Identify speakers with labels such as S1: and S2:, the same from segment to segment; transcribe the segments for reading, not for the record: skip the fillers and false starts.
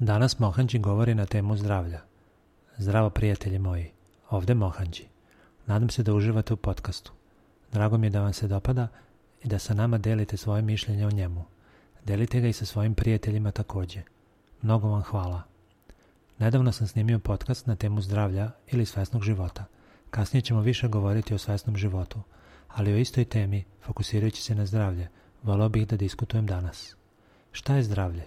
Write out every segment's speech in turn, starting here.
S1: Danas Mohanđi govori na temu zdravlja. Zdravo prijatelji moji, ovdje Mohanđi. Nadam se da uživate u podcastu. Drago mi je da vam se dopada i da sa nama delite svoje mišljenje o njemu. Delite ga i sa svojim prijateljima također. Mnogo vam hvala. Nedavno sam snimio podcast na temu zdravlja ili svesnog života. Kasnije ćemo više govoriti o svesnom životu, ali o istoj temi, fokusirajući se na zdravlje, voleo bih da diskutujem danas. Šta je zdravlje?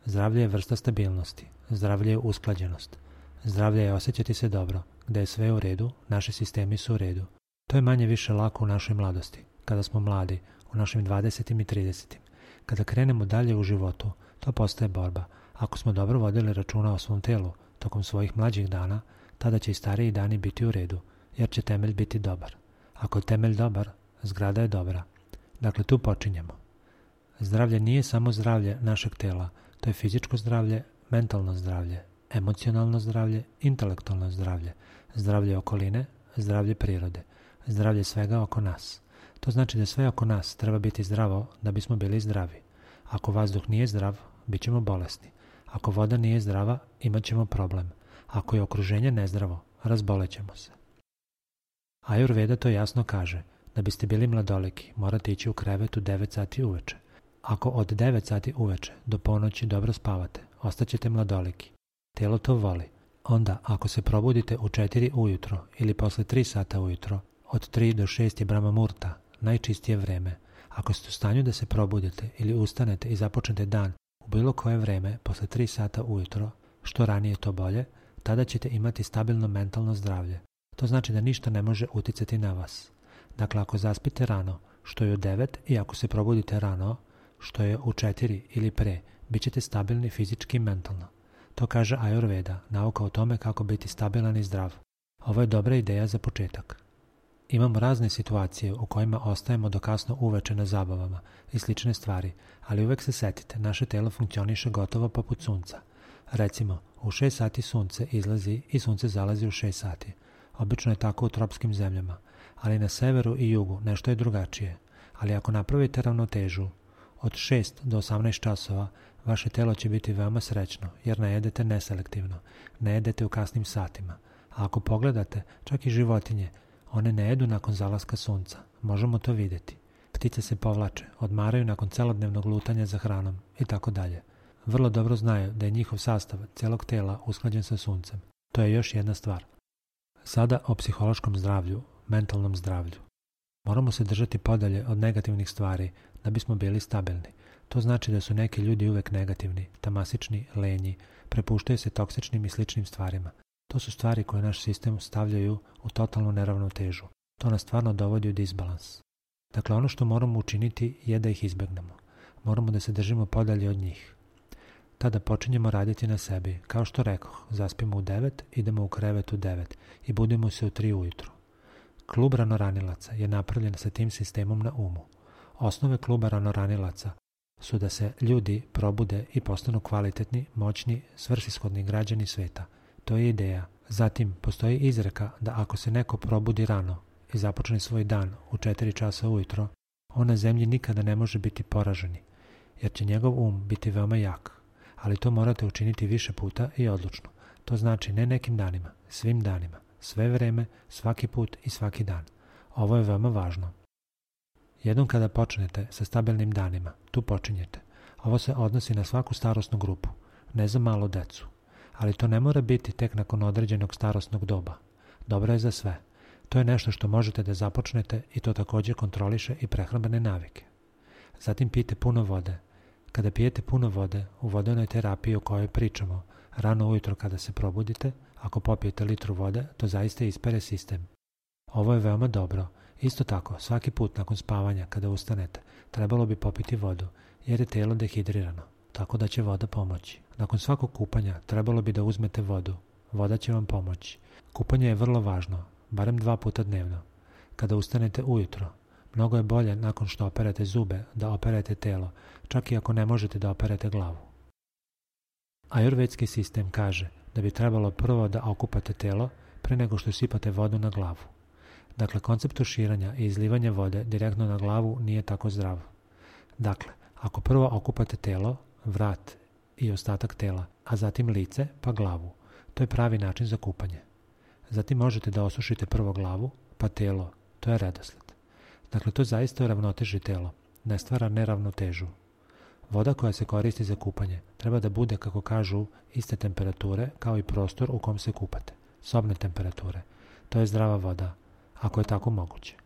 S1: Zdravlje je vrsta stabilnosti, zdravlje je usklađenost, zdravlje je osjećati se dobro, gdje je sve u redu, naši sistemi su u redu. To je manje više lako u našoj mladosti, kada smo mladi, u našim 20. i 30. Kada krenemo dalje u životu, to postaje borba. Ako smo dobro vodili računa o svom telu tokom svojih mlađih dana, tada će i stariji dani biti u redu, jer će temelj biti dobar. Ako je temelj dobar, zgrada je dobra. Dakle, tu počinjemo. Zdravlje nije samo zdravlje našeg tela, to je fizičko zdravlje, mentalno zdravlje, emocionalno zdravlje, intelektualno zdravlje, zdravlje okoline, zdravlje prirode, zdravlje svega oko nas. To znači da sve oko nas treba biti zdravo da bismo bili zdravi. Ako vazduh nije zdrav, bit ćemo bolesni. Ako voda nije zdrava, imat ćemo problem. Ako je okruženje nezdravo, razbolećemo se. Ajurveda to jasno kaže. Da biste bili mladoliki, morate ići u krevet u 9 sati uveče. Ako od 9 sati uveče do ponoći dobro spavate, ostaćete mladoliki. Telo to voli. Onda, ako se probudite u 4 ujutro ili posle 3 sata ujutro, od 3 do 6 je Brahma Murta, najčistije vreme. Ako ste u stanju da se probudite ili ustanete i započnete dan u bilo koje vreme posle 3 sata ujutro, što ranije to bolje, tada ćete imati stabilno mentalno zdravlje. To znači da ništa ne može uticati na vas. Dakle, ako zaspite rano, što je u 9, i ako se probudite rano, što je u 4 ili pre, bit ćete stabilni fizički i mentalno. To kaže Ajurveda, nauka o tome kako biti stabilan i zdrav. Ovo je dobra ideja za početak. Imamo razne situacije u kojima ostajemo do kasno uveče na zabavama i slične stvari, ali uvek se setite, naše telo funkcioniše gotovo poput sunca. Recimo, u 6 sati sunce izlazi i sunce zalazi u 6 sati. Obično je tako u tropskim zemljama, ali na severu i jugu nešto je drugačije. Ali ako napravite ravnotežu, od 6 do 18 časova, vaše telo će biti veoma srećno, jer ne jedete neselektivno, ne jedete u kasnim satima. A ako pogledate, čak i životinje, one ne jedu nakon zalaska sunca. Možemo to vidjeti. Ptice se povlače, odmaraju nakon celodnevnog lutanja za hranom i tako dalje. Vrlo dobro znaju da je njihov sastav celog tela usklađen sa suncem. To je još jedna stvar. Sada o psihološkom zdravlju, mentalnom zdravlju. Moramo se držati podalje od negativnih stvari da bismo bili stabilni. To znači da su neki ljudi uvek negativni, tamasični, lenji, prepuštaju se toksičnim i sličnim stvarima. To su stvari koje naš sistem stavljaju u totalnu neravnotežu. To nas stvarno dovodi u disbalans. Dakle, ono što moramo učiniti je da ih izbegnemo. Moramo da se držimo podalje od njih. Tada počinjemo raditi na sebi. Kao što rekoh, zaspimo u 9, idemo u krevet u 9 i budemo se u 3 ujutru. Klub ranoranilaca je napravljen sa tim sistemom na umu. Osnove kluba ranoranilaca su da se ljudi probude i postanu kvalitetni, moćni, svrsishodni građani sveta. To je ideja. Zatim, postoji izreka da ako se neko probudi rano i započne svoj dan u 4 časa ujutro, on na zemlji nikada ne može biti poraženi, jer će njegov um biti veoma jak. Ali to morate učiniti više puta i odlučno. To znači ne nekim danima, svim danima, sve vreme, svaki put i svaki dan. Ovo je veoma važno. Jednom kada počnete sa stabilnim danima, tu počinjete. Ovo se odnosi na svaku starosnu grupu, ne za malu decu. Ali to ne mora biti tek nakon određenog starosnog doba. Dobro je za sve. To je nešto što možete da započnete i to također kontroliše i prehrambene navike. Zatim pijte puno vode. Kada pijete puno vode, u vodenoj terapiji o kojoj pričamo, rano ujutro kada se probudite, ako popijete litru vode, to zaista ispere sistem. Ovo je veoma dobro. Isto tako, svaki put nakon spavanja kada ustanete, trebalo bi popiti vodu, jer je telo dehidrirano, tako da će voda pomoći. Nakon svakog kupanja trebalo bi da uzmete vodu. Voda će vam pomoći. Kupanje je vrlo važno, barem 2 puta dnevno. Kada ustanete ujutro, mnogo je bolje nakon što operete zube da operete telo, čak i ako ne možete da operete glavu. Ajurvedski sistem kaže da bi trebalo prvo da okupate telo pre nego što sipate vodu na glavu. Dakle, koncept tuširanja i izlivanja vode direktno na glavu nije tako zdrav. Dakle, ako prvo okupate telo, vrat i ostatak tela, a zatim lice pa glavu. To je pravi način za kupanje. Zatim možete da osušite prvo glavu, pa telo. To je redosled. Dakle, to zaista uravnoteži telo. Ne stvara neravnotežu. Voda koja se koristi za kupanje treba da bude, kako kažu, iste temperature kao i prostor u kom se kupate. Sobne temperature. To je zdrava voda, ako je tako moguće.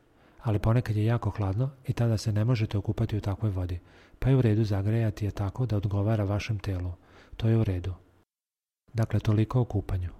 S1: Ali ponekad je jako hladno i tada se ne možete okupati u takvoj vodi, pa je u redu zagrejati je tako da odgovara vašem telu. To je u redu. Dakle, toliko o kupanju.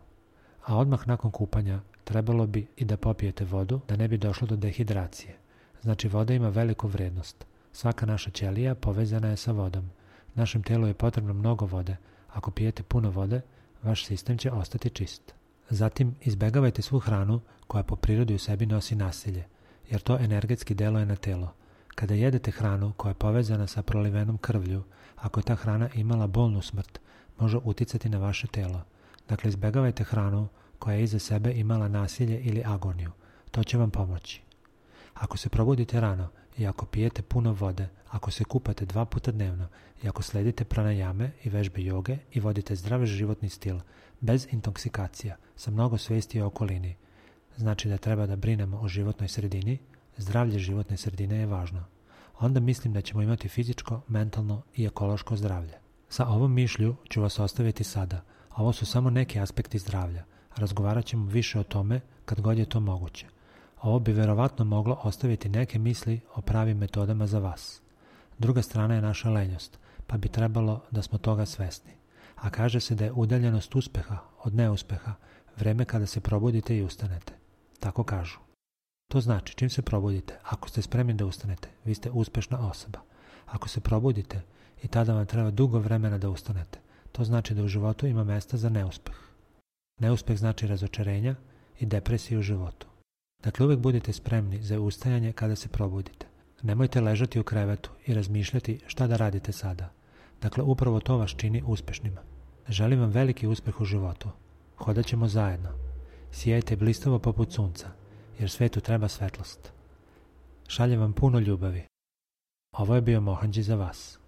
S1: A odmah nakon kupanja trebalo bi i da popijete vodu da ne bi došlo do dehidracije. Znači, voda ima veliku vrednost. Svaka naša ćelija povezana je sa vodom. Našem telu je potrebno mnogo vode. Ako pijete puno vode, vaš sistem će ostati čist. Zatim, izbegavajte svu hranu koja po prirodi u sebi nosi nasilje, jer to energetski deluje na telo. Kada jedete hranu koja je povezana sa prolivenom krvlju, ako je ta hrana imala bolnu smrt, može uticati na vaše telo. Dakle, izbegavajte hranu koja je iza sebe imala nasilje ili agoniju. To će vam pomoći. Ako se probudite rano i ako pijete puno vode, ako se kupate 2 puta dnevno i ako sledite pranajame i vežbe joge i vodite zdrav životni stil, bez intoksikacija, sa mnogo svesti o okolini, znači da treba da brinemo o životnoj sredini, zdravlje životne sredine je važno. Onda mislim da ćemo imati fizičko, mentalno i ekološko zdravlje. Sa ovom mišlju ću vas ostaviti sada. Ovo su samo neki aspekti zdravlja. Razgovarat ćemo više o tome kad god je to moguće. Ovo bi verovatno moglo ostaviti neke misli o pravim metodama za vas. Druga strana je naša lenjost, pa bi trebalo da smo toga svesni. A kaže se da je udaljenost uspeha od neuspeha vreme kada se probudite i ustanete. Tako kažu. To znači, čim se probudite, ako ste spremni da ustanete, vi ste uspešna osoba. Ako se probudite i tada vam treba dugo vremena da ustanete, to znači da u životu ima mesta za neuspeh. Neuspeh znači razočarenja i depresiju u životu. Dakle, uvijek budite spremni za ustajanje kada se probudite. Nemojte ležati u krevetu i razmišljati šta da radite sada. Dakle, upravo to vas čini uspešnima. Želim vam veliki uspeh u životu. Hodat ćemo zajedno. Sijajte blistavo poput sunca, jer svetu treba svetlost. Šaljem vam puno ljubavi. Ovo je bio Mohanđi za vas.